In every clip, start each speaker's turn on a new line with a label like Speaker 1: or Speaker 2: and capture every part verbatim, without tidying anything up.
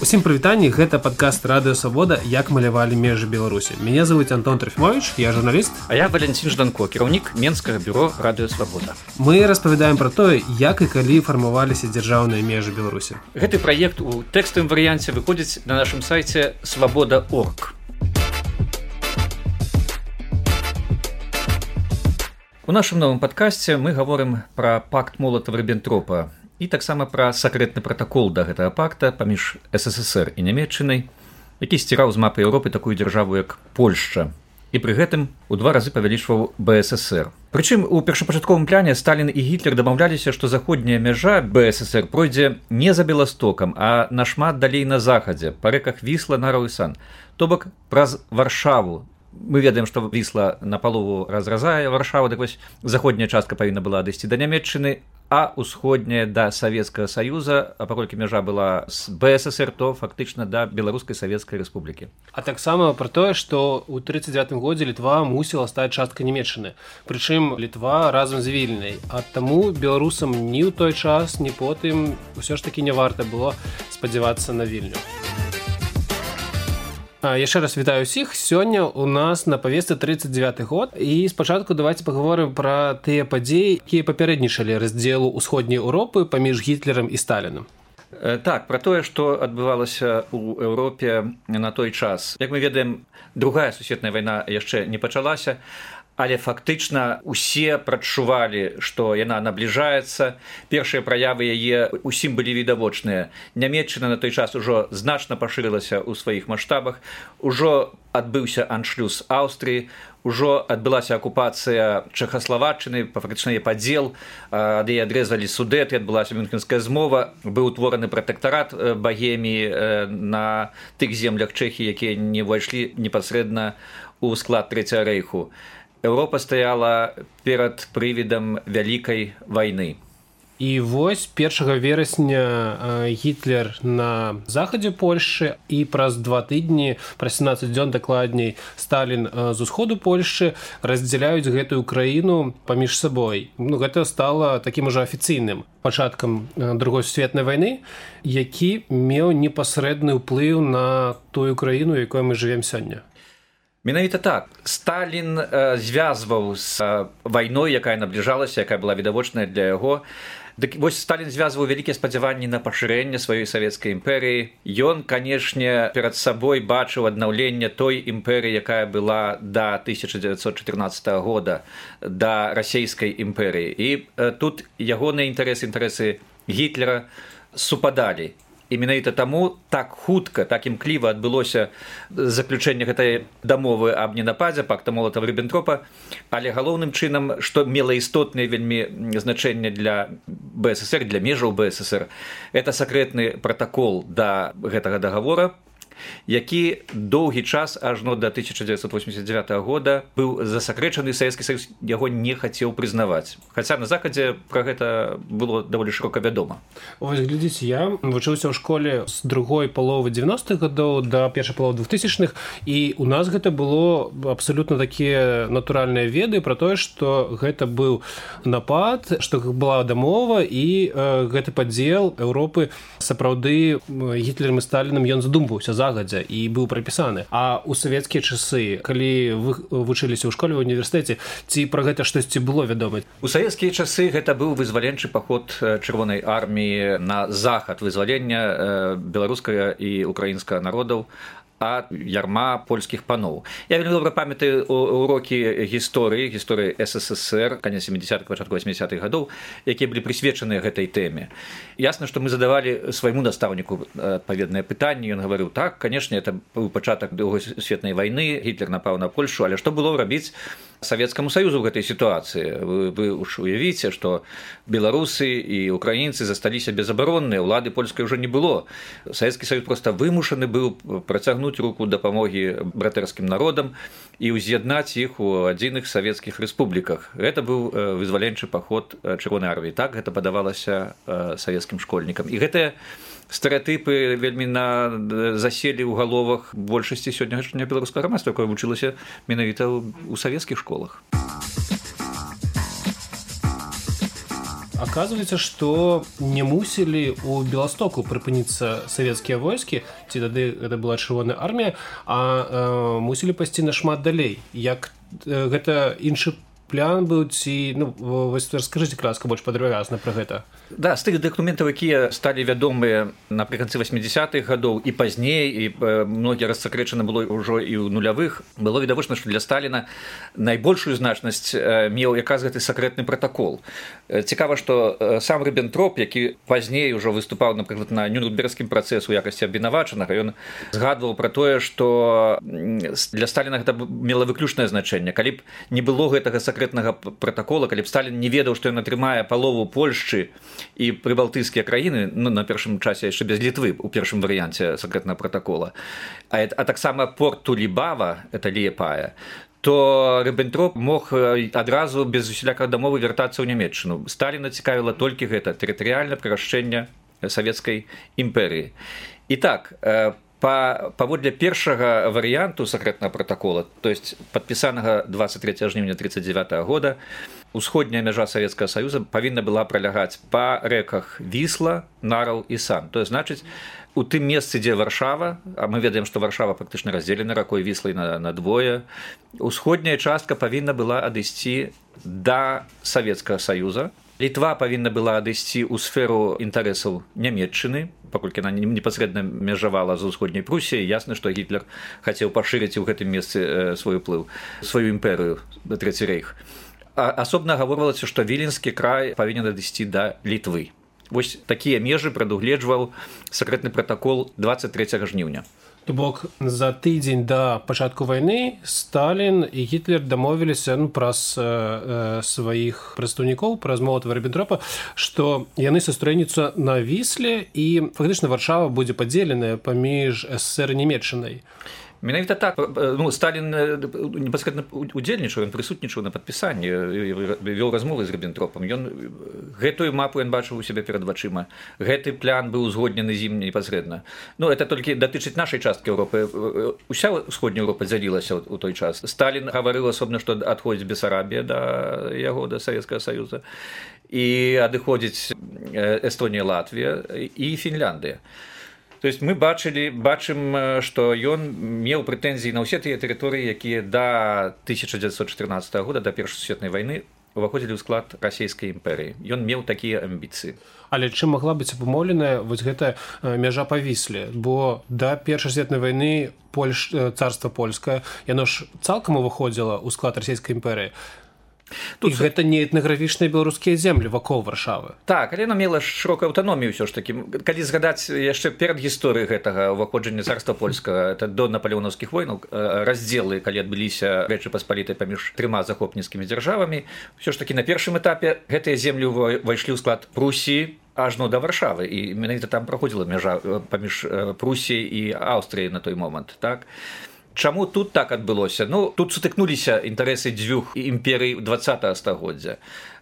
Speaker 1: Усім прывітанні, гэта падкаст Радыё Свабода «Як малявалі межы Беларусі». Меня зовут Антон Трофимович, я журналіст.
Speaker 2: А я Валентин Жданко, кіраўнік Менскага бюро Радыё Свабода.
Speaker 1: Мы распавядаем пра тое, як і калі фармаваліся дзяржаўныя межы Беларусі.
Speaker 2: Гэты праект у тэкставым варыянце выходзіць на нашым сайце свабода точка орг. У нашым новым падкасце мы гаворым пра пакт Молатава-Ріббентропа і таксама пра сакрэтны пратакол да гэтага пакта паміж СССР і Нямецчынай, які сціраў з мапы Еўропы такую дзяржаву, як Польшча, і пры гэтым у два разы павялічваў БССР. Прычым у першапачатковым пляне Сталін і Гітлер дамаўляліся, што заходняя мяжа БССР пройдзе не за Беластокам, а нашмат далей на захадзе, па рэках Вісла, Нараў і Сан, то бок праз Варшаву. Мы ведаем, што Вісла напалову разразае Варшаву, так вось заходняя частка павінна была дайсці да Нямецчыны, а ўсходняя да Савецкага Саюза, а паколькі мяжа была з БССР, то фактычна да Беларускай Савецкай Рэспублікі.
Speaker 1: А таксама пра тое, што ў трыццаць дзевятым годзе Літва мусіла стаць часткай Нямецчыны. Прычым Літва разам з Вільняй. А таму беларусам ні ў той час, ні потым усё ж такі не варта было спадзявацца на Вільню. Яшчэ раз вітаю ўсіх. Сёння у нас на павестцы трыццаць дзевяты год. І спачатку давайте паговорым пра тыя падзеі, якія папярэднічалі раздзелу ўсходняй Еўропы паміж Гітлерам і Сталінам.
Speaker 2: Так, пра тое, што адбывалася ў Еўропе на той час. Як мы ведаем, другая сусветная вайна яшчэ не пачалася, але фактычна усе прадчувалі, што яна набліжаецца. Першыя праявы яе ўсім былі відавочныя. Нямецчына на той час ужо значна пашырылася ў сваіх маштабах, ужо адбыўся аншлюз Аўстрыі, ужо адбылася акупацыя Чэхаславаччыны, фактычна яе падзел, ад яе адрэзалі Судэты, адбылася Мюнхенская змова, быў утвораны пратэктарат Багеміі на тых землях Чэхіі, якія не ўвайшлі непасрэдна ў склад Трэцяга рэйху. Еўропа стаяла перад прывідам вялікай вайны.
Speaker 1: І вось першага верасня Гітлер на захадзе Польшчы, і праз два тыдні, праз сямнаццаць дзён дакладней, Сталін з усходу Польшчы раздзяляюць гэтую краіну паміж сабой. Ну, гэта стала такім ужо афіцыйным пачаткам другой сусветнай вайны, які меў непасрэдны ўплыў на тую краіну, якой мы жывем сёння.
Speaker 2: Менавіта так. Сталін э, звязваў з э, вайной, якая набліжалася, якая была відавочная для яго. Дык вось Сталін звязваў вялікія спадзяванні на пашырэнне сваёй савецкай імперыі. Ён, канешне, перад сабой бачыў аднаўленне той імперыі, якая была да тысяча дзевяцьсот чатырнаццатага года, да расійскай імперыі. І э, тут ягоныя інтарэсы, інтарэсы Гітлера супадалі. І менавіта таму так хутка, так імкліва адбылося заключэнне гэтай дамовы аб ненападзе, пакта Молатава-Ріббентропа, але галоўным чынам, што мела істотнае вельмі значэнне для БССР, для межаў БССР, гэта сакрэтны пратакол да гэтага дагавора, які доўгі час, ажно да тысяча дзевяцьсот восемьдесят дзевятага года, быў засакрэчаны, Савецкі Саюз яго не хацеў прызнаваць. Хаця на захадзе пра гэта было даволі шырока вядома.
Speaker 1: Вось, глядзіце, я вучыўся ў школе з другой паловы дзевяностых гадоў да першай паловы двухтысячных, і у нас гэта было абсалютна такія натуральныя веды пра тое, што гэта быў напад, што была дамова, і э, гэты падзел Еўропы сапраўды Гітлерам і Сталінам ён задумваўся загадзя і быў прапісаны. А ў савецкія часы, калі вы вучыліся ў школе, ў універсітэце, ці пра гэта штосьці было вядома?
Speaker 2: У савецкія часы гэта быў вызваленчы паход Чырвонай арміі на захад, вызвалення беларускага і украінскага народаў ад ярма польскіх паноў. Я вельмі добра памятаю урокі гісторыі, гісторыі СССР, канец сямідзясятых, пачатку восьмідзясятых гадоў, якія былі прысвечаны гэтай тэме. Ясна, што мы задавалі свайму настаўніку адпаведнае пытанне, ён гаварыў: так, канешне, это быў пачатак другой сусветнай вайны, Гітлер напаў на Польшу, але што было рабіць Савецкаму Саюзу ў гэтай сітуацыі? Вы, вы уж уявіце, што беларусы і украінцы засталіся безабаронныя, улады польскай ўжо не было. Савецкі Саюз проста вымушаны быў працягнуць руку дапамогі братэрскім народам і ўз'яднаць іх у адзіных савецкіх рэспубліках. Гэта быў вызваленчы паход Чырвонай арміі. Так гэта падавалася савецкім школьнікам. І гэтыя стэрэатыпы вельмі на заселі ў галовах большасці сённяшняга беларускага грамадства, якое вучылася менавіта ў савецкіх школах.
Speaker 1: Оказывается, что не мусили у Беластоку прыпыніцца савецкія войскі, ці тады гэта была чырвоная армія, а э, мусілі пайсці нашмат далей. Як э, гэта іншы плян быў, ці ну вось раскажыце кратка больш падрабязна пра гэта.
Speaker 2: Да, з тых дакументаў, якія сталі вядомыя напрыканцы васьмідзясятых гадоў і пазней, і многія рассакрэчаны было ўжо і ў нулявых, было відавочна, што для Сталіна найбольшую значнасць меў якраз гэты сакрэтны пратакол. Цікава, што сам Ріббентроп, які пазней ужо выступаў, напрыклад, на Нюрнбергскім працэсе ў якасці абвінавачанага, ён згадваў пра тое, што для Сталіна гэта мела выключнае значэнне. Калі б не было гэтага сакрэтнага пратакола, калі б Сталін не ведаў, што ён атрымае палову Польшчы і прыбалтыйскія краіны, ну, на першым часе яшчэ без Літвы у першым варыянце сакрэтнага пратакола, а, а таксама порт Тулібава, это Ліепая, то Ріббентроп мог адразу без усялякай дамовы вяртацца ў Нямецчыну. Сталіна цікавіла толькі гэта тэрытарыяльнае прырашчэнне савецкай імперыі. І так, Па, паводле першага варыянту сакрэтнага пратакола, то есть падпісанага дваццаць трэцяга жніўня трыццаць дзевятага года, усходняя мяжа Савецкага Саюза павінна была пралягаць па рэках Вісла, Нараў і Сан. То есть, значыць, у тым месцы, дзе Варшава, а мы ведаем, што Варшава практычна раздзелена ракой Віслай на, на двое, усходняя частка павінна была адысці да Савецкага Саюза. Літва павінна была адысці ў сферу інтарэсаў Нямецчыны, паколькі яна непасрэдна мяжавала з усходняй Прусіяй. Ясна, што Гітлер хацеў пашырыць у гэтым месцы свой уплыў, сваю імперыю, Трэці рэйх. А асобна гаворвалася, што Віленскі край павінен адысці да Літвы. Вось такія межы прадугледжваў сакрэтны пратакол дваццаць трэцяга жніўня.
Speaker 1: То бок за тыдзень да пачатку вайны Сталін і Гітлер дамовіліся ну, праз э, сваіх прадстаўнікоў, праз Молатава-Ріббентропа, што яны сустрэнуцца на Вісле і фактычна Варшава будзе падзеленая паміж СССР і Нямецчынай.
Speaker 2: Менавіта так, ну, Сталін непасрэдна удзельнічаў, ён прысутнічаў на падпісанні, вёў размовы з Ріббентропам. Ён гэтую мапу ён бачыў у сябе перад вачыма. Гэты план быў узгоднены з ім непасрэдна. Ну, это толькі датычыць нашай часткі Еўропы. Уся ўсходняя Еўропа дзялілася ў той час. Сталін гаварыў асобна, што адходзіць Бесарабія да яго, да Савецкага Саюза, і адыходзіць Эстонія, Латвія і Фінляндыя. То есть мы бачылі, бачым, што ён меў прэтэнзіі на ўсе тыя тэрыторыі, якія да тысяча дзевяцьсот чатырнаццатага года, да Першай сусветнай вайны, уваходзілі ў склад расійскай імперыі. Ён меў такія амбіцыі.
Speaker 1: Але чым магла быць абумоўленая вось гэтая мяжа па Вісле? Бо да Першай сусветнай вайны Польш... царства польскае, яно ж цалкам уваходзіла ў склад расійскай імперыі. Тут і гэта не этнаграфічныя беларускія землі вакол Варшавы.
Speaker 2: Так, але яна мела шырокую аўтаномію ўсё ж такі. Калі згадаць яшчэ перад гісторыяй гэтага ўваходжання царства польскага, это до напалеонаўскіх войнаў, раздзелы, калі адбыліся Рэчы Паспалітай паміж трыма захопніцкімі дзяржавамі, ўсё ж такі на першым этапе гэтыя землі ўвайшлі ў склад Прусіі ажно да Варшавы, і менавіта там праходзіла мяжа паміж Прусіяй і Аўстрыяй на той момант, так? Чаму тут так адбылося? Ну, тут сутыкнуліся інтарэсы дзвюх імперый дваццатага стагоддзя.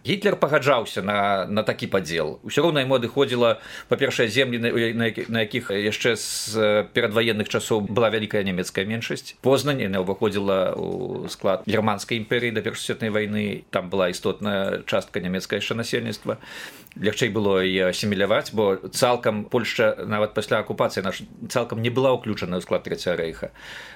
Speaker 2: Гітлер пагаджаўся на, на такі падзел. Усё роўна яму адыходзіла, па-першае, землі, на, на якіх яшчэ з перадваенных часоў была вялікая нямецкая меншасць. Познань, яна ўваходзіла ў склад германскай імперыі да Першай сусветнай вайны. Там была істотная частка нямецкае яшчэ насельніцтва. Лягчэй было і асіміляваць, бо цалкам Польшча, нават пасля акупацыі, наша цалкам не была ўключана ў склад Трэцяга рэйха.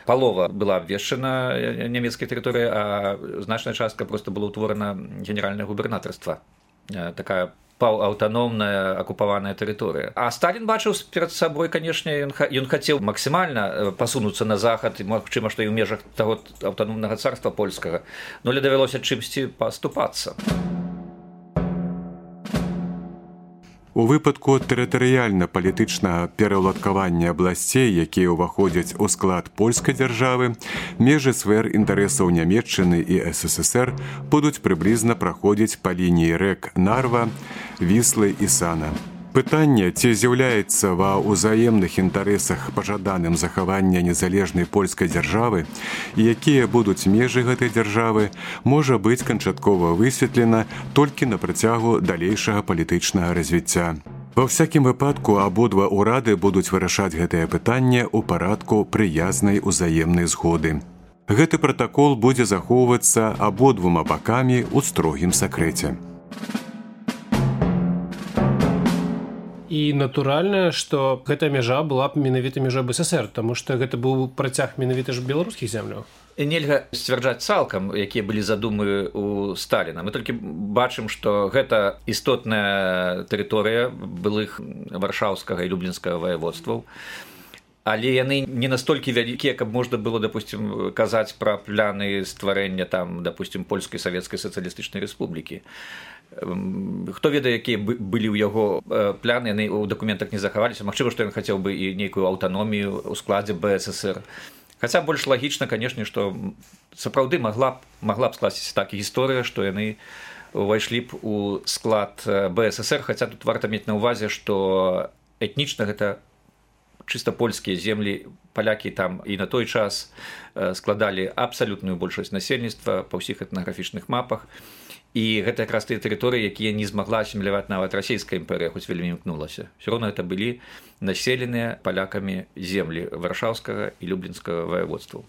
Speaker 2: Палова была абвешчана нямецкай тэрыторыі, а значная частка проста была ўтворана генеральнае губернатарства. Такая паўаўтаномная акупаваная тэрыторыя. А Сталін бачыў перад сабой, канешне, ён, ён хацеў максімальна пасунуцца на захад, і магчыма, што і ў межах таго аўтаномнага царства польскага, но але давялося чымсьці паступацца.
Speaker 3: У выпадку тэрытарыяльна-палітычнага пераўладкавання абласцей, якія ўваходзяць у склад польскай дзяржавы, межы сфер інтарэсаў Нямецчыны і СССР будуць прыблізна праходзіць па лініі рэк Нарва, Віслы і Сана. Пытанне, ці з'яўляецца ва ўзаемных інтарэсах пажаданым захавання незалежнай польскай дзяржавы і якія будуць межы гэтай дзяржавы, можа быць канчаткова высветлена толькі на працягу далейшага палітычнага развіцця. Ва ўсякім выпадку абодва ўрады будуць вырашаць гэтае пытанне ў парадку прыязнай узаемнай згоды. Гэты пратакол будзе захоўвацца абодвума бакамі ў строгім сакрэце.
Speaker 1: І натуральна, што гэтая мяжа была б менавіта мяжой БССР, таму што гэта быў працяг менавіта ж беларускіх земляў.
Speaker 2: Нельга сцвярджаць цалкам, якія былі задумы ў Сталіна. Мы толькі бачым, што гэта істотная тэрыторыя былых варшаўскага і люблінскага ваяводстваў, але яны не настолькі вялікія, каб можна было, допустим, казаць пра пляны стварэння там, допустим, польскай савецкай сацыялістычнай рэспублікі. Хто ведае, якія былі ў яго пляны, яны ў дакументах не захаваліся. Магчыма, што ён хацеў бы і нейкую аўтаномію ў складзе БССР. Хаця больш лагічна, канешне, што сапраўды магла б, магла б скласціся так гісторыя, што яны увайшлі б у склад БССР, хаця тут варта мець на ўвазе, што этнічна гэта чыста польскія землі, палякі там і на той час складалі абсалютную большасць насельніцтва па ўсіх этнаграфічных мапах. І гэта якраз тыя тэрыторыі, якія не змагла асіміляваць нават расійская імперыя, хоць вельмі імкнулася. Усё роўна гэта былі населеныя палякамі землі варшаўскага і люблінскага ваяводстваў.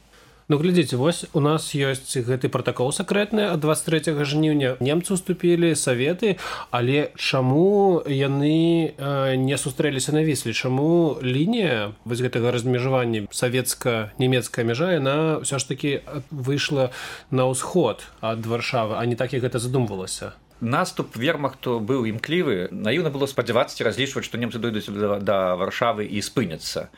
Speaker 1: Ну, глядзіце, вось у нас ёсць гэты пратакол сакрэтны ад дваццаць трэцяга жніўня. Немцы ўступілі, саветы, але чаму яны э, не сустрэліся на Вісле? Чаму лінія вось гэтага размежавання савецка-нямецкая мяжа, яна ўсё ж такі выйшла на ўсход ад Варшавы, а не так, як гэта задумвалася?
Speaker 2: Наступ вермахту быў імклівы. Наіўна было спадзявацца ці разлічваць, што немцы дойдуць да, да Варшавы і спыняцца.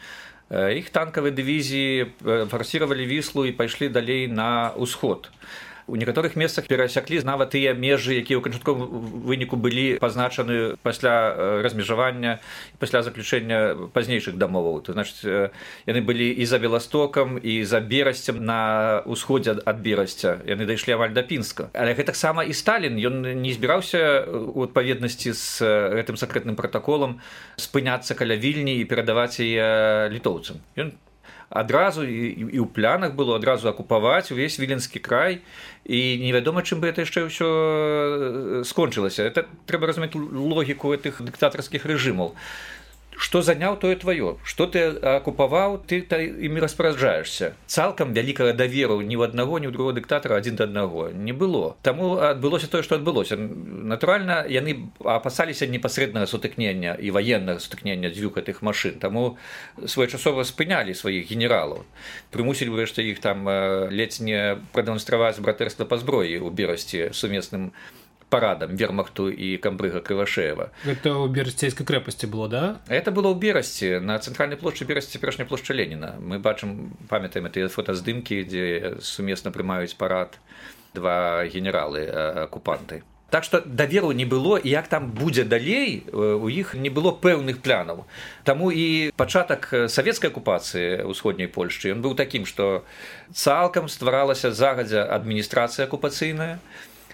Speaker 2: Іх танкавыя дывізіі фарсіравалі Віслу і пайшлі далей на ўсход. У некаторых месцах перасяклі нават тыя межы, якія ў канчатковым выніку былі пазначаны пасля размежавання, пасля заключэння пазнейшых дамоваў. То значыць, яны былі і за Беластокам, і за Берасцем на ўсходзе ад Берасця. Яны дайшлі амаль да Пінска. Але гэтаксама і Сталін, ён не збіраўся у адпаведнасці з гэтым сакрэтным пратаколам спыняцца каля Вільні і перадаваць яе літоўцам. Ён адразу і, і ў планах было адразу акупаваць увесь віленскі край, і невядома, чым бы гэта яшчэ ўсё скончылася. Это трэба разумець логіку гэтых дыктатарскіх рэжымаў. Што заняў, тое тваё. Што ты акупаваў, ты імі распараджаешся. Цалкам вялікага даверу ні ў аднаго, ні ў другого дыктатара адзін да аднаго не было. Таму адбылося тое, што адбылося. Натуральна, яны апасаліся непасрэднага сутыкнення і ваеннага сутыкнення дзвюх гэтых машын. Таму своечасова спынялі сваіх генералаў. Прымусілі ўрэшце іх там ледзь не прадэманстраваць братэрства па зброі ў Берасці сумесным парадам вермахту і камбрыга Крывашеева.
Speaker 1: Это ў Берасцейскай крэпасці было, да?
Speaker 2: Это было ў Берасці, на цэнтральнай плошчы Берасці, цяперашняй плошчы Леніна. Мы бачым, памятаем тыя фотаздымкі, дзе сумесна прымаюць парад два генералы-акупанты. Так што даверу не было, і як там будзе далей, у іх не было пэўных планаў. Таму і пачатак савецкай акупацыі ўсходняй Польшчы, ён быў такім, што цалкам стваралася загадзя адміністрацыя акупацыйная,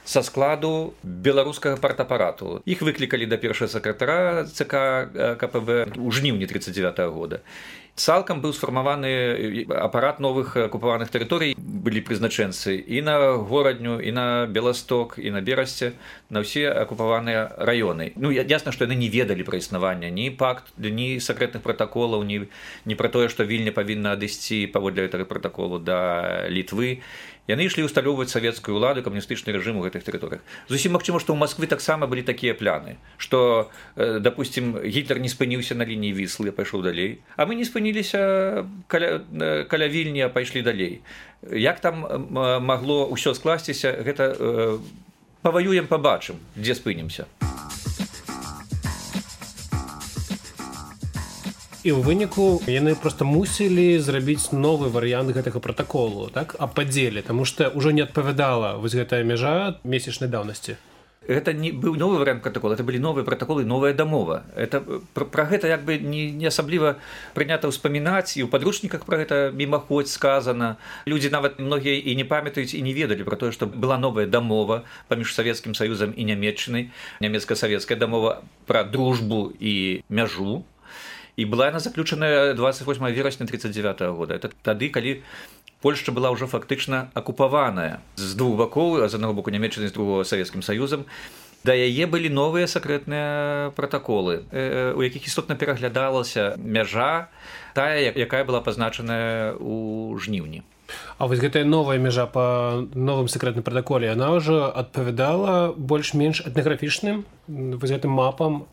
Speaker 2: са складу беларускага партапарату. Іх выклікалі да першага сакратара ЦК КПБ ў жніўні тридцать девятого года. Цалкам быў сфармаваны апарат новых акупаваных тэрыторый, былі прызначэнцы і на горадню, і на Беласток, і на Берасце, на ўсе акупаваныя раёны. Ну, ясна, што яны не ведалі пра існаванне ні пакт, ні сакрэтных пратаколаў, ні, ні пра тое, што Вільня павінна адысці паводле гэтага пратаколу да Літвы. Яны ішлі ўсталёўваць савецкую ўладу, камуністычны рэжым у гэтых тэрыторыях. Зусім магчыма, што ў Масквы таксама былі такія пляны, што, допустим, Гітлер не спыніўся на лініі Віслы, пайшоў далей, а мы не спыніліся каля, каля Вільні, а пайшлі далей. Як там магло ўсё скласціся, гэта паваюем, пабачым, дзе спынімся.
Speaker 1: І ў выніку яны проста мусілі зрабіць новы варыянт гэтага пратаколу, так, аб падзеле, таму што ўжо не адпавядала вось гэтая мяжа месячнай даўнасці.
Speaker 2: Гэта не быў новы варыянт пратакола, это былі новыя пратаколы, новая дамова. Это, пра, пра гэта як бы не, не асабліва прынята ўспамінаць, і ў падручніках пра гэта мімаходзь сказана. Людзі нават многія і не памятаюць, і не ведалі пра тое, што была новая дамова паміж Савецкім Саюзам і Нямецчынай, нямецка-савецкая дамова пра дружбу і мяжу. І была яна заключаная двадцать восьмого верасня тридцать девятого года. Это тады, калі Польшча была ўжо фактычна акупаваная з двух бакоў, з аднаго боку Нямецчыны, з другого Савецкім Саюзам. Да яе былі новыя сакрэтныя пратаколы, у якіх істотна пераглядалася мяжа, тая, якая была пазначаная ў жніўні.
Speaker 1: А вось гэтая новая мяжа па новым сакрэтным пратаколе, яна ўжо адпавядала больш-менш этнаграфічным вось гэтым мапам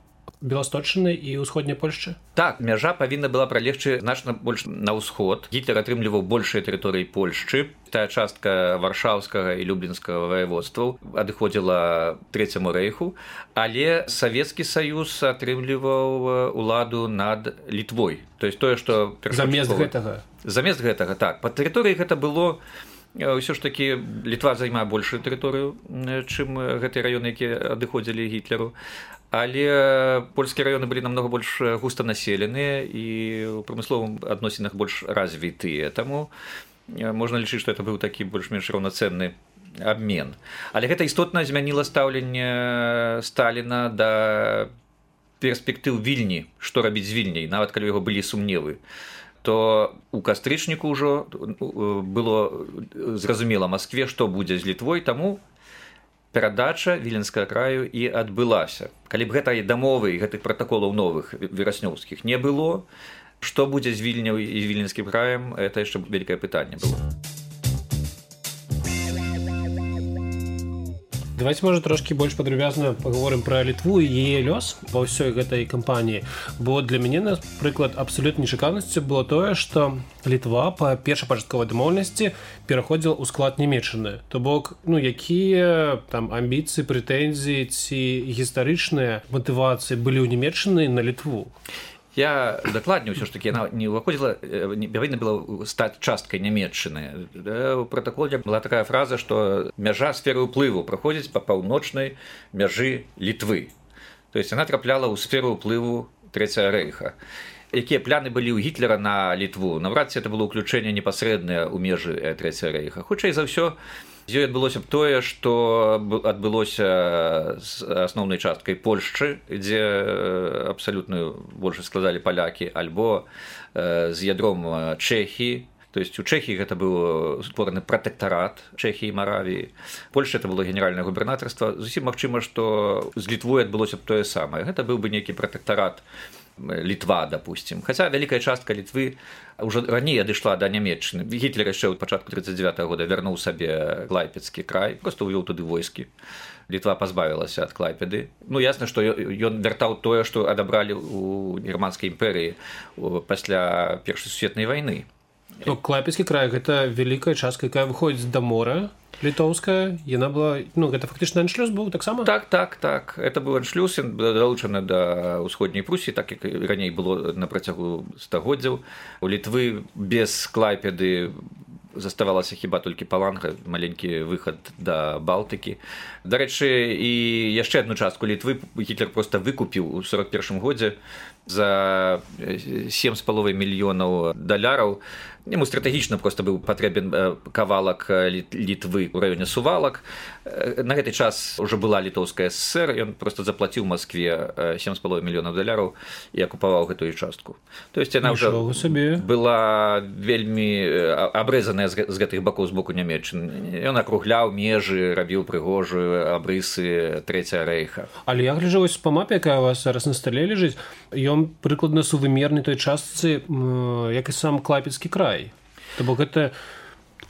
Speaker 1: Беласточчыны і ўсходняй Польшчы?
Speaker 2: Так, мяжа павінна была пралегчы значна больш на ўсход. Гітлер атрымліваў большыя тэрыторыі Польшчы. Тая частка варшаўскага і люблінскага ваяводстваў адыходзіла трэцяму рэйху, але Савецкі Саюз атрымліваў уладу над Літвой. То есть тое, што
Speaker 1: замест гэтага.
Speaker 2: Замест гэтага, так. Па тэрыторыі гэта было ўсё ж такі Літва займае большую тэрыторыю, чым гэтыя раёны, якія адыходзілі Гітлеру. Але польскія раёны былі намного больш густанаселеныя і ў прамысловым адносінах больш развітыя. Таму можна лічыць, што это быў такі больш-менш раўнацэнны абмен. Але гэта істотна змяніла стаўленне Сталіна да перспектыў Вільні, што рабіць з Вільняй, нават калі ў яго былі сумневы. То у кастрычніку ўжо было зразумела Маскве, што будзе з Літвой, таму перадача віленскага краю і адбылася. Калі б гэтай дамовы і гэтых пратаколаў новых вераснёўскіх не было, што будзе з Вільняй і з віленскім краем, это яшчэ вялікае пытанне было.
Speaker 1: Давайте, можа, трошкі больш падрабязна паговорым пра Літву і яе лёс ва ўсёй гэтай кампаніі. Бо для мяне, напрыклад, абсалютнай нечаканасцю было тое, што Літва па першапачатковай дамоўленасці пераходзіла ў склад Нямецчыны. То бок, ну, якія там амбіцыі, прэтэнзіі ці гістарычныя матывацыі былі ў Нямецчыны на Літву?
Speaker 2: Я дакладней ўсё ж такі яна не ўваходзіла, павінна была стаць часткай Нямецчыны. У пратаколе была такая фраза, што мяжа сферы ўплыву праходзіць па паўночнай мяжы Літвы. То есть яна трапляла ў сферу ўплыву Трэцяга рэйха. Якія пляны былі ў Гітлера на Літву? Наврад ці это было ўключэнне непасрэднае ў межы Трэцяга рэйха. Хутчэй за ўсё, з ёй адбылося б тое, што адбылося з асноўнай часткай Польшчы, дзе абсалютную большасць складалі палякі, альбо з ядром Чэхіі. То есть у Чэхіі гэта быў створаны пратэктарат Чэхіі і Маравіі. Польшча это было генеральнае губернатарства. Зусім магчыма, што з Літвой адбылося б тое самае. Гэта быў бы нейкі пратэктарат Літва, допустим. Хаця вялікая частка Літвы ўжо раней адышла да Нямецчыны. Гітлер яшчэ ў пачатку тридцать девятого года вярнуў сабе Клайпедскі край, проста ўвёў туды войскі. Літва пазбавілася ад Клайпеды. Ну, ясна, што ён вяртаў тое, што адабралі ў германскай імперыі пасля Першай сусветнай вайны.
Speaker 1: Ну, Клайпедскі край – гэта вялікая частка, якая выходзіць да мора, літоўская. Яна была, ну, гэта фактычна аншлюз быў таксама?
Speaker 2: Так, так, так. Это быў аншлюз, ён далучаны да ўсходняй Прусіі, так як раней было на працягу стагоддзяў. У Літвы без Клайпеды заставалася хіба толькі Паланга, маленькі выхад да Балтыкі. Дарэчы, і яшчэ адну частку Літвы Гітлер проста выкупіў у сорок першым годзе за сем з паловай мільёнаў даляраў. Яму стратэгічна проста быў патрэбен кавалак Літвы ў раёне Сувалак. На гэты час ўжо была Літоўская ССР, ён проста заплаціў Маскве сем з паловай мільёнаў даляраў і акупаваў гэтую частку. То есть яна ўжо была вельмі абрэзаная з гэтых бакоў з боку Нямецчыны. Ён акругляў межы, рабіў прыгожую абрысы Трэцяга рэйха.
Speaker 1: Але я гляджу вось па мапе, якая у вас зараз на стале ляжыць, ён прыкладна сувымерны той частцы, як і сам Клайпедскі край. То бок гэта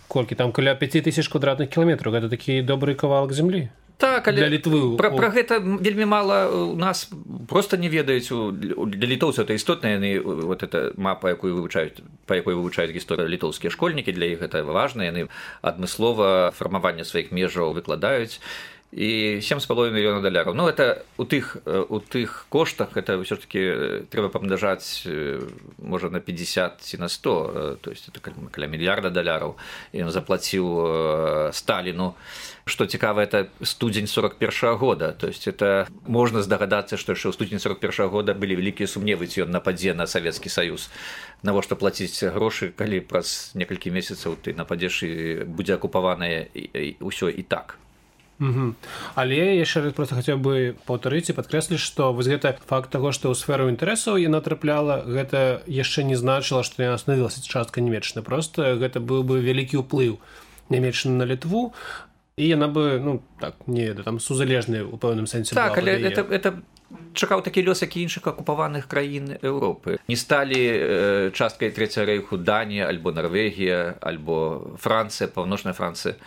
Speaker 1: колькі там каля пяць тысяч квадратных кіламетраў, гэта такі добры кавалак зямлі.
Speaker 2: Так, але пра, пра гэта вельмі мала у нас проста не ведаюць. Для літоўцаў это істотна, яны вот эта мапа, якую вывучаюць, па якой вывучаюць гісторыю літоўскія школьнікі, для іх гэта важна, яны адмыслова фармаванне сваіх межаў выкладаюць. І сем з паловай мільёнаў даляраў. Ну, это у тых, у тых коштах, это ўсё ж такі трэба памнажаць, можа, на пятьдесят ці на сто, то есть это каля мільярда даляраў. Ён заплаціў Сталіну. Што цікава, это студзень сорок першага года. То есть это можна здагадацца, што яшчэ ў студзені сорок першага года былі вялікія сумневы, ці ён нападзе на Савецкі Саюз. Навошта плаціць грошы, калі праз некалькі месяцаў ты нападзеш і будзе акупаванае ўсё і так.
Speaker 1: Угу. Але яшчэ раз просто хацеў бы паўтарыць і падкрэсліць, што вось гэта факт таго, што ў сферу інтарэсаў яна трапляла, гэта яшчэ не значыла, што яна становілася часткай Нямецчыны. Просто гэта быў бы вялікі ўплыў Нямецчыны на Літву, і яна бы, ну, так, не, там сузалежная ў пэўным сэнсе
Speaker 2: так,
Speaker 1: была.
Speaker 2: Так, але это, это чакаў такі лёс, як і іншых акупаваных краін Еўропы. Не сталі э, часткай Трэцяга рэйху Данія, альбо Нарвегія, альбо Францыя, паўночная Францыя.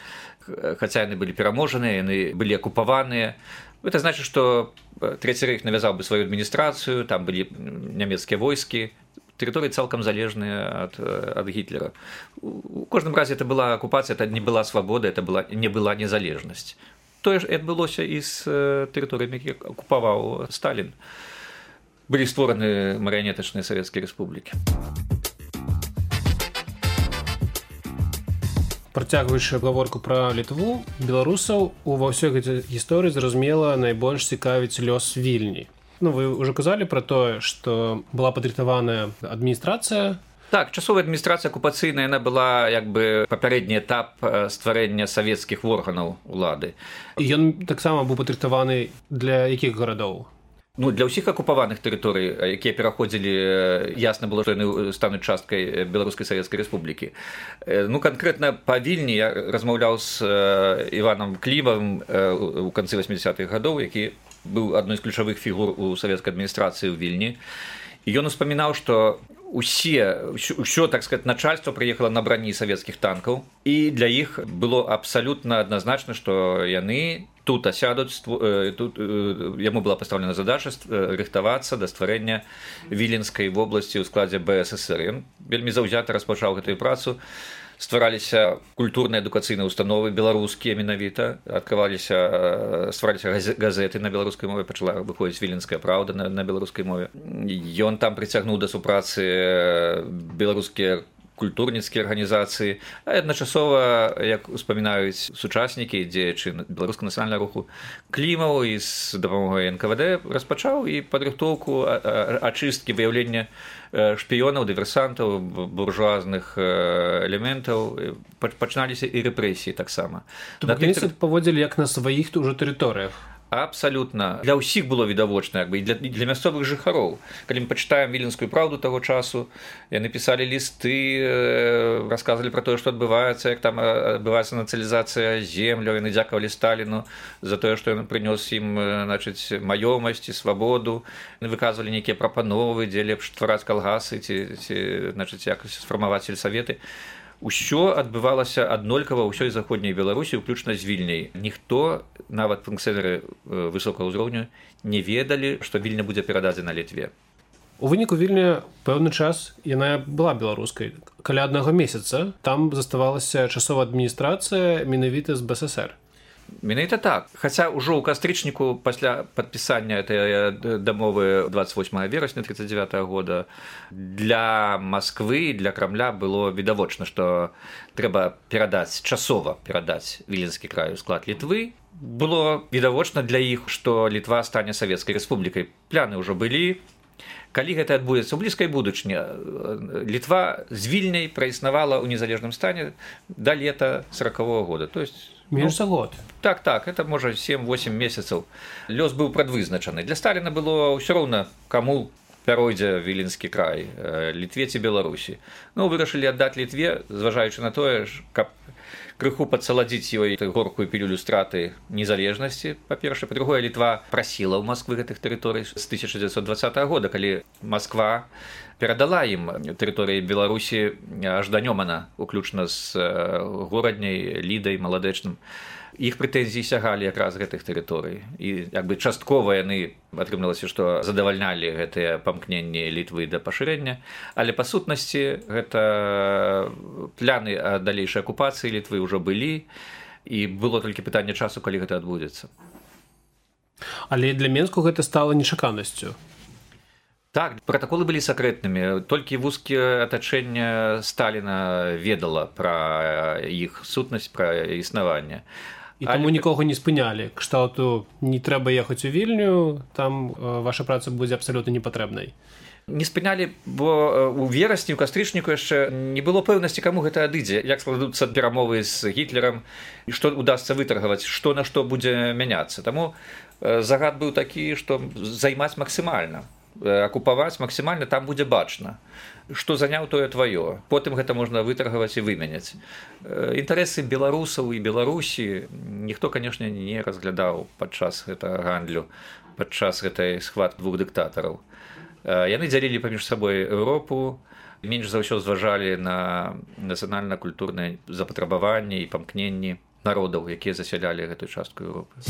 Speaker 2: Хаця яны былі пераможаныя, яны былі акупаваныя, Это значит, что Трэці рэйх навязаў бы сваю адміністрацыю, там былі нямецкія войскі, тэрыторыі цалкам залежныя ад, ад Гітлера. У кожным разе это была акупацыя, это не была свабода, это была, не была незалежнасць. Тое ж адбылося і з тэрыторыямі, якія акупаваў Сталін. Былі створаны марыянетачныя савецкія рэспублікі.
Speaker 1: Працягваючы гаворку пра Літву, беларусаў ува ўсёй гэтай гісторыі, зразумела, найбольш цікавіць лёс Вільні. Ну, вы ўжо казалі пра тое, што была падрыхтаваная адміністрацыя.
Speaker 2: Так, часовая адміністрацыя акупацыйная, яна была як бы папярэдні этап стварэння савецкіх органаў улады.
Speaker 1: І ён таксама быў падрыхтаваны для якіх гарадоў?
Speaker 2: Ну, для ўсіх акупаваных тэрыторый, якія пераходзілі, ясна было, што яны стануць часткай Беларускай Савецкай Рэспублікі. Ну, канкрэтна па Вільні я размаўляў з Іванам Клімавым у канцы восьмідзясятых гадоў, які быў адной з ключавых фігур у савецкай адміністрацыі ў Вільні. І ён успамінаў, што усе, ўсё, так сказать, начальство прыехала на брані савецкіх танкаў, і для іх было абсалютна адназначна, што яны тут асядуць, тут яму была пастаўлена задача рыхтавацца да стварэння Віленскай вобласці ў складзе Бэ Эс ЭсЭр. Ён вельмі заўзята распачаў гэтую працу. Ствараліся культурныя адукацыйныя установы, беларускія менавіта, адкрываліся, ствараліся газеты на беларускай мове, пачала выходзіць Віленская праўда на, на беларускай мове. Ён там прыцягнуў да супрацы беларускія культурніцкія арганізацыі, а адначасова, як успамінаюць сучаснікі, дзеячы беларускага нацыянальнага руху, Клімаў і з дапамогай эн ка вэ дэ распачаў і падрыхтоўку ачысткі, выяўлення шпіёнаў, дыверсантаў, буржуазных элементаў, пачыналіся і рэпрэсіі таксама.
Speaker 1: То бакінцы паводзілі як на сваіх ўжо тэрыторыях?
Speaker 2: Абсалютна. Для ўсіх было відавочна, як бы, і для, і для мясцовых жыхароў. Калі мы пачытаем Віленскую праўду таго часу, яны пісалі лісты, расказвалі пра тое, што адбываецца, як там адбываецца нацыялізацыя земляў, яны дзякавалі Сталіну за тое, што ён прынёс ім, значыць, маёмасць і свабоду, яны выказвалі нейкія прапановы, дзе лепш ствараць калгасы ці, ці значыць, якось сфармаваць сельсаветы. Усё адбывалася аднолькава ўсёй заходняй Беларусі, уключна з Вільняй. Ніхто, нават функцыянеры высокага ўзроўню, не ведалі, што Вільня будзе перададзена Літве.
Speaker 1: У выніку Вільня пэўны час яна была беларускай. Каля аднаго месяца там заставалася часовая адміністрацыя менавіта з Бэ Эс Эс Эр.
Speaker 2: Менавіта так. Хаця ўжо ў кастрычніку пасля падпісання этой дамовы двадцать восьмого верасня тридцать девятого года для Масквы, для Крамля было відавочна, што трэба перадаць, часова перадаць Віленскі край у склад Літвы. Было відавочна для іх, што Літва стане Савецкай Рэспублікай. Пляны ўжо былі. Калі гэта адбудзецца ў блізкай будучыні, Літва з Вільняй праіснавала ў незалежным стане да лета сорокового года. То есть
Speaker 1: менш за год.
Speaker 2: Так, так, это можа семь-восемь месяцаў. Лёс быў прадвызначаны. Для Сталіна было ўсё роўна, каму пяройдзе Віленскі край, Літве ці Беларусі. Ну, вырашылі аддаць Літве, зважаючы на тое, каб крыху падсаладзіць ёй горкую пілюлю страты незалежнасці. Па-першае, па-другое, Літва прасіла ў Масквы гэтых тэрыторый з тысяча дзевяцьсот двадцатого года, калі Масква перадала ім тэрыторыі Беларусі аж да Нёмана, уключна з горадняй, Лідай, Маладэчным. Іх прэтэнзіі сягалі якраз гэтых тэрыторый. І як бы часткова яны, атрымалася, што задавальнялі гэтыя памкненні Літвы да пашырэння, але па сутнасці гэта пляны далейшай акупацыі Літвы ўжо былі, і было толькі пытанне часу, калі гэта адбудзецца.
Speaker 1: Але для Менску гэта стала нечаканасцю.
Speaker 2: Так, протаколы былі сакрэтнымі. Толькі вузкае атачэнне Сталіна ведала пра іх сутнасць, пра існаванне.
Speaker 1: І таму Але... нікога не спынялі. Кшталту не трэба ехаць у Вільню, там ваша праца будзе абсалютна непатрэбнай.
Speaker 2: Не спынялі, бо у верасні, у кастрычніку яшчэ не было пэўнасці, каму гэта адыдзе, як складуцца перамовы з Гітлерам, і што удасца вытаргаваць, што на што будзе мяняцца. Таму загад быў такі, што займаць максімальна. Акупаваць максімальна, там будзе бачна. Што заняў, тое тваё. Потым гэта можна вытаргаваць і вымяняць. Інтарэсы беларусаў і Беларусі ніхто, канешне, не разглядаў падчас гэтага гандлю, падчас гэтай схваткі двух дыктатараў. Яны дзялілі паміж сабой Еўропу, менш за ўсё зважалі на нацыянальна-культурныя запатрабаванні і памкненні народаў, якія засялялі гэтую частку Еўропы.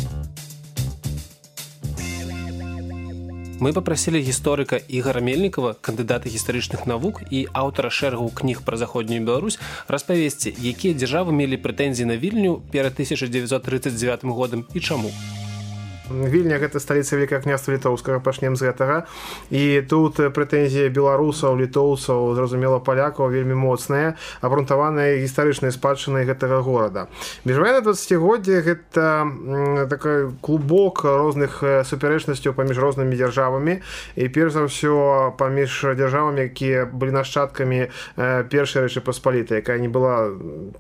Speaker 1: Мы папрасілі гісторыка Ігара Мельнікава, кандыдата гістарычных навук і аўтара шэрагу кніг пра заходнюю Беларусь, распавесці, якія дзяржавы мелі прэтэнзіі на Вільню перад тысяча дзевяцьсот трыццаць дзевятым годам і чаму.
Speaker 4: Вільня – гэта сталіца Вялікага княства Літоўскага, пачнем з гэтага. І тут прэтэнзіі беларусаў, літоўцаў, зразумела, палякаў вельмі моцныя, абрунтаваныя гістарычнай спадчынай гэтага горада. Міжваеннае дваццацігоддзе – гэта такой клубок розных супярэчнасцяў паміж рознымі дзяржавамі і, перш за ўсё, паміж дзяржавамі, якія былі нашчадкамі першай Рэчы Паспалітай, якая не была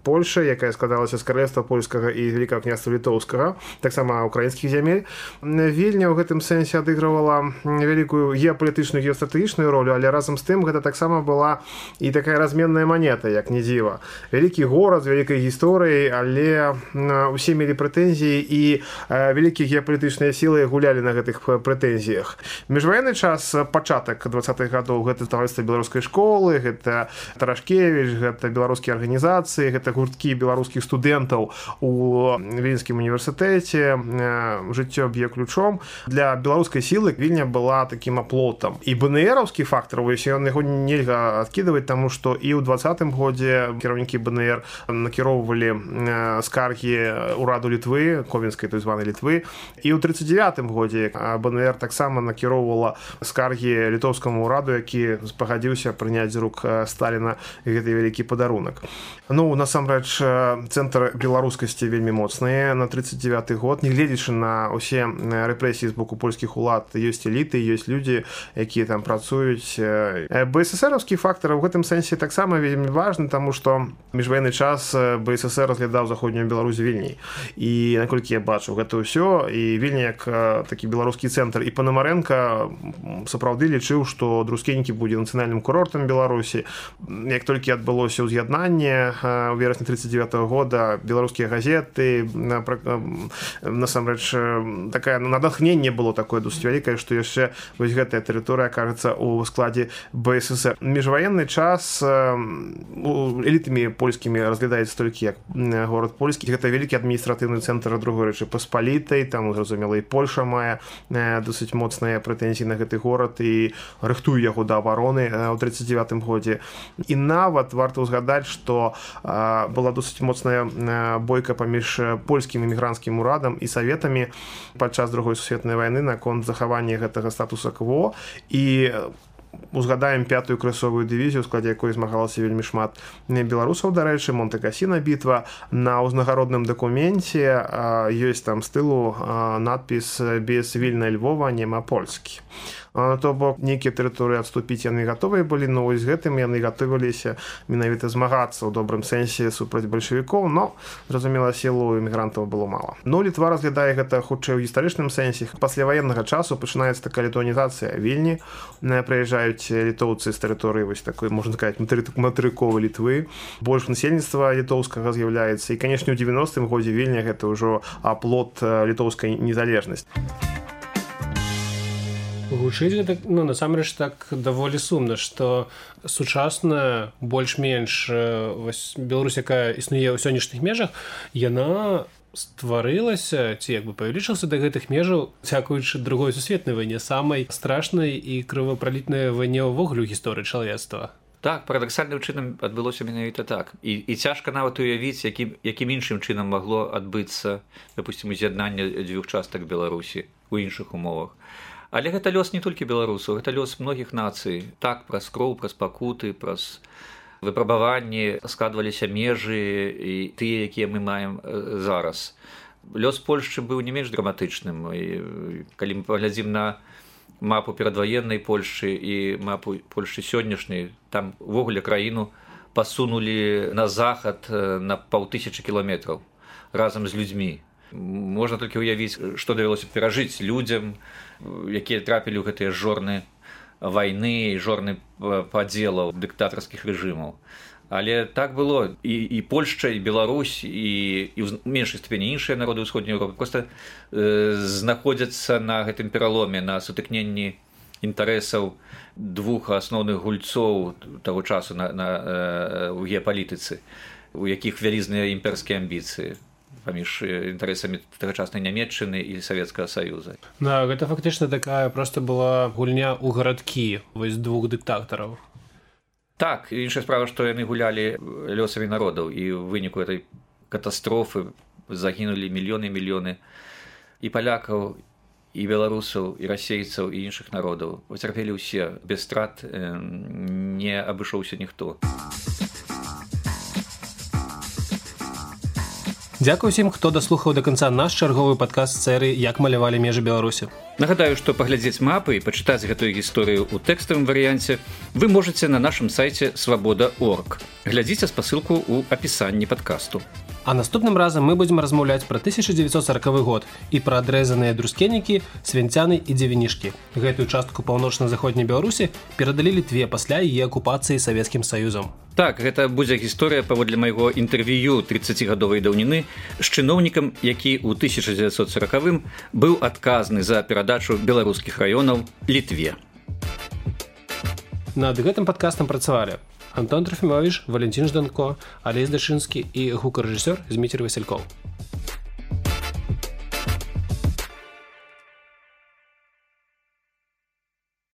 Speaker 4: Польшай, якая складалася з каралевства польскага і Вялікага княства Літоўскага, таксама украінскіх зямель. Вільня ў гэтым сэнсе адыгрывала вялікую геапалітычную, геастратэгічную ролю, але разам з тым гэта таксама была і такая разменная манета, як не дзіва. Вялікі горад з вялікай гісторыяй, але ўсе мелі прэтэнзіі і вялікія геапалітычныя сілы гулялі на гэтых прэтэнзіях. Міжваенны час, пачатак дваццатых гадоў, гэта таварыства беларускай школы, гэта Тарашкевіч, гэта беларускія арганізацыі, гэта гурткі беларускіх студэнтаў у Вільнскім універсітэце, жыццё б'е ключом. Для беларускай сілы Вільня была такім аплотам. І БНРаўскі фактар, ён яго нельга адкідаваць, таму што і ў дваццатым годзе кіраўнікі БНР накіроўвалі скаргі ўраду Літвы, Ковенскай той званай Літвы, і ў трыццаць дзевятым годзе БНР таксама накіроўвала скаргі літоўскаму ўраду, які пагадзіўся прыняць з рук Сталіна гэты вялікі падарунак. Ну, насамрэч, цэнтр беларускасці вельмі моцны на трыццаць дзевяты год, нягледзячы на ўсе рэпрэсіі з боку польскіх улад, ёсць эліты, ёсць людзі, якія там працуюць. БССРаўскі фактар у гэтым сэнсе таксама вельмі важны, таму што міжваенны час БССР разглядаў заходнюю Беларусь Вільняй. І наколькі я бачу гэта ўсё, і Вільня як такі беларускі цэнтр, і Панамарэнка сапраўды лічыў, што Друскенькі будзе нацыянальным курортам Беларусі. Як толькі адбылося ўз'яднанне у верасні трыццаць дзевятага года, беларускія газеты, насамрэч, такая надахненне было такое досыць вялікае, што яшчэ вось гэтая тэрыторыя кажацца ў складзе БССР. Міжваенны час элітамі польскімі разглядаецца толькі як горад польскі. Гэта вялікі адміністратыўны цэнтр другой Рэчы Паспалітай, там, зразумела, і Польша мае досыць моцныя прэтэнзіі на гэты горад і рыхтуе яго да абароны ў трыццаць дзевятым годзе. І нават варта ўзгадаць, што была досыць моцная бойка паміж польскім эмігранцкім урадам і саветамі падчас другой сусветнай вайны наконт захавання гэтага статуса кво, і узгадаем пятую крысовую дывізію, у складзе якой змагалася вельмі шмат беларусаў, дарэчы, Монте-Касіна бітва. На ўзнагародным дакуменце ёсць там з тылу надпіс «Без вільнай Львова нема Польскі». То бок, нейкія тэрыторыі адступіць яны гатовыя былі, но з гэтым яны гатовіліся менавіта змагацца ў добрым сэнсе супраць бальшавікоў, но, зразумела, сілу эмігрантаў было мала. Ну, Літва разглядае гэта хутчэй у гістарычным сэнсе. Пасля ваеннага часу пачынаецца такая літуанізацыя Вільні. Прыязджаюць літоўцы з тэрыторыі вось такой, можна сказаць, матэрыковай Літвы. Больш насельніцтва літоўскага з'яўляецца. І, канешне, у дзевяностым годзе Вільня гэта ўжо аплот літоўскай незалежнасці.
Speaker 1: Гучыць гэта, ну, насамрэч так даволі сумна, што сучасная, больш-менш вось Беларусь, якая існуе ў сённяшніх межах, яна стварылася, ці як бы павялічылася да гэтых межаў, дзякуючы другой сусветнай вайне, самай страшнай і крывапралітнай вайне ўвогуле ў гісторыі чалавецтва.
Speaker 2: Так, парадаксальным чынам адбылося менавіта так. І, і цяжка нават уявіць, якім, якім іншым чынам магло адбыцца, допустим, уз'яднанне дзвюх частак Беларусі ў іншых умовах. Але гэта лёс не толькі беларусаў, гэта лёс многіх нацый. Так, праз кроў, праз пакуты, праз выпрабаванні складваліся межы і тыя, якія мы маем зараз. Лёс Польшчы быў не менш драматычным. І калі мы паглядзім на мапу перадваеннай Польшчы і мапу Польшчы сённяшняй, там увогуле краіну пасунулі на захад на паўтысячы кіламетраў разам з людзьмі. Можна толькі ўявіць, што давялося перажыць людзям, якія трапілі ў гэтыя жорны вайны і жорны падзелаў дыктатарскіх рэжымаў. Але так было. І, і Польшча, і Беларусь, і, і ў меншай ступені іншыя народы ўсходняй Еўропы проста э, знаходзяцца на гэтым пераломе, на сутыкненні інтарэсаў двух асноўных гульцоў таго часу на, на, э, у геапалітыцы, у якіх вялізныя імперскія амбіцыі. паміж інтарэсамі тагачаснай Нямецчыны і Савецкага Саюза.
Speaker 1: Да, гэта фактычна такая проста была гульня ў гарадкі вось двух дыктатараў.
Speaker 2: Так, іншая справа, што яны гулялі лёсамі народаў, і ў выніку этой катастрофы загінулі мільёны і мільёны і палякаў, і беларусаў, і расейцаў, і іншых народаў. Пацярпелі ўсе, без страт не абышоўся ніхто.
Speaker 1: Дзякуй усім, хто даслухаў да канца наш чарговы падкаст серыі «Як малявалі межы Беларусі».
Speaker 2: Нагадаю, што паглядзець мапы і пачытаць гэтую гісторыю ў тэкставым варыянце вы можаце на нашым сайце свабода точка орг. Глядзіце спасылку ў апісанні падкасту.
Speaker 1: А наступным разам мы будзем размаўляць пра тысяча дзевяцьсот сорокавы год і пра адрэзаныя друскенікі, свінцяны і дзевінішкі. Гэтую частку паўночна-заходняй Беларусі перадалі Літве пасля яе акупацыі Савецкім Саюзам.
Speaker 2: Так, гэта будзе гісторыя паводле майго інтэрв'ю трыццацігадовай даўніны з чыноўнікам, які ў тысяча дзевяцьсот сорокавым быў адказны за перадачу беларускіх раёнаў Літве.
Speaker 1: Над гэтым падкастам працавалі Антон Трофімович, Валентин Жданко, Алесь Дашынскі і гукарэжысёр Зміцер Васількоў.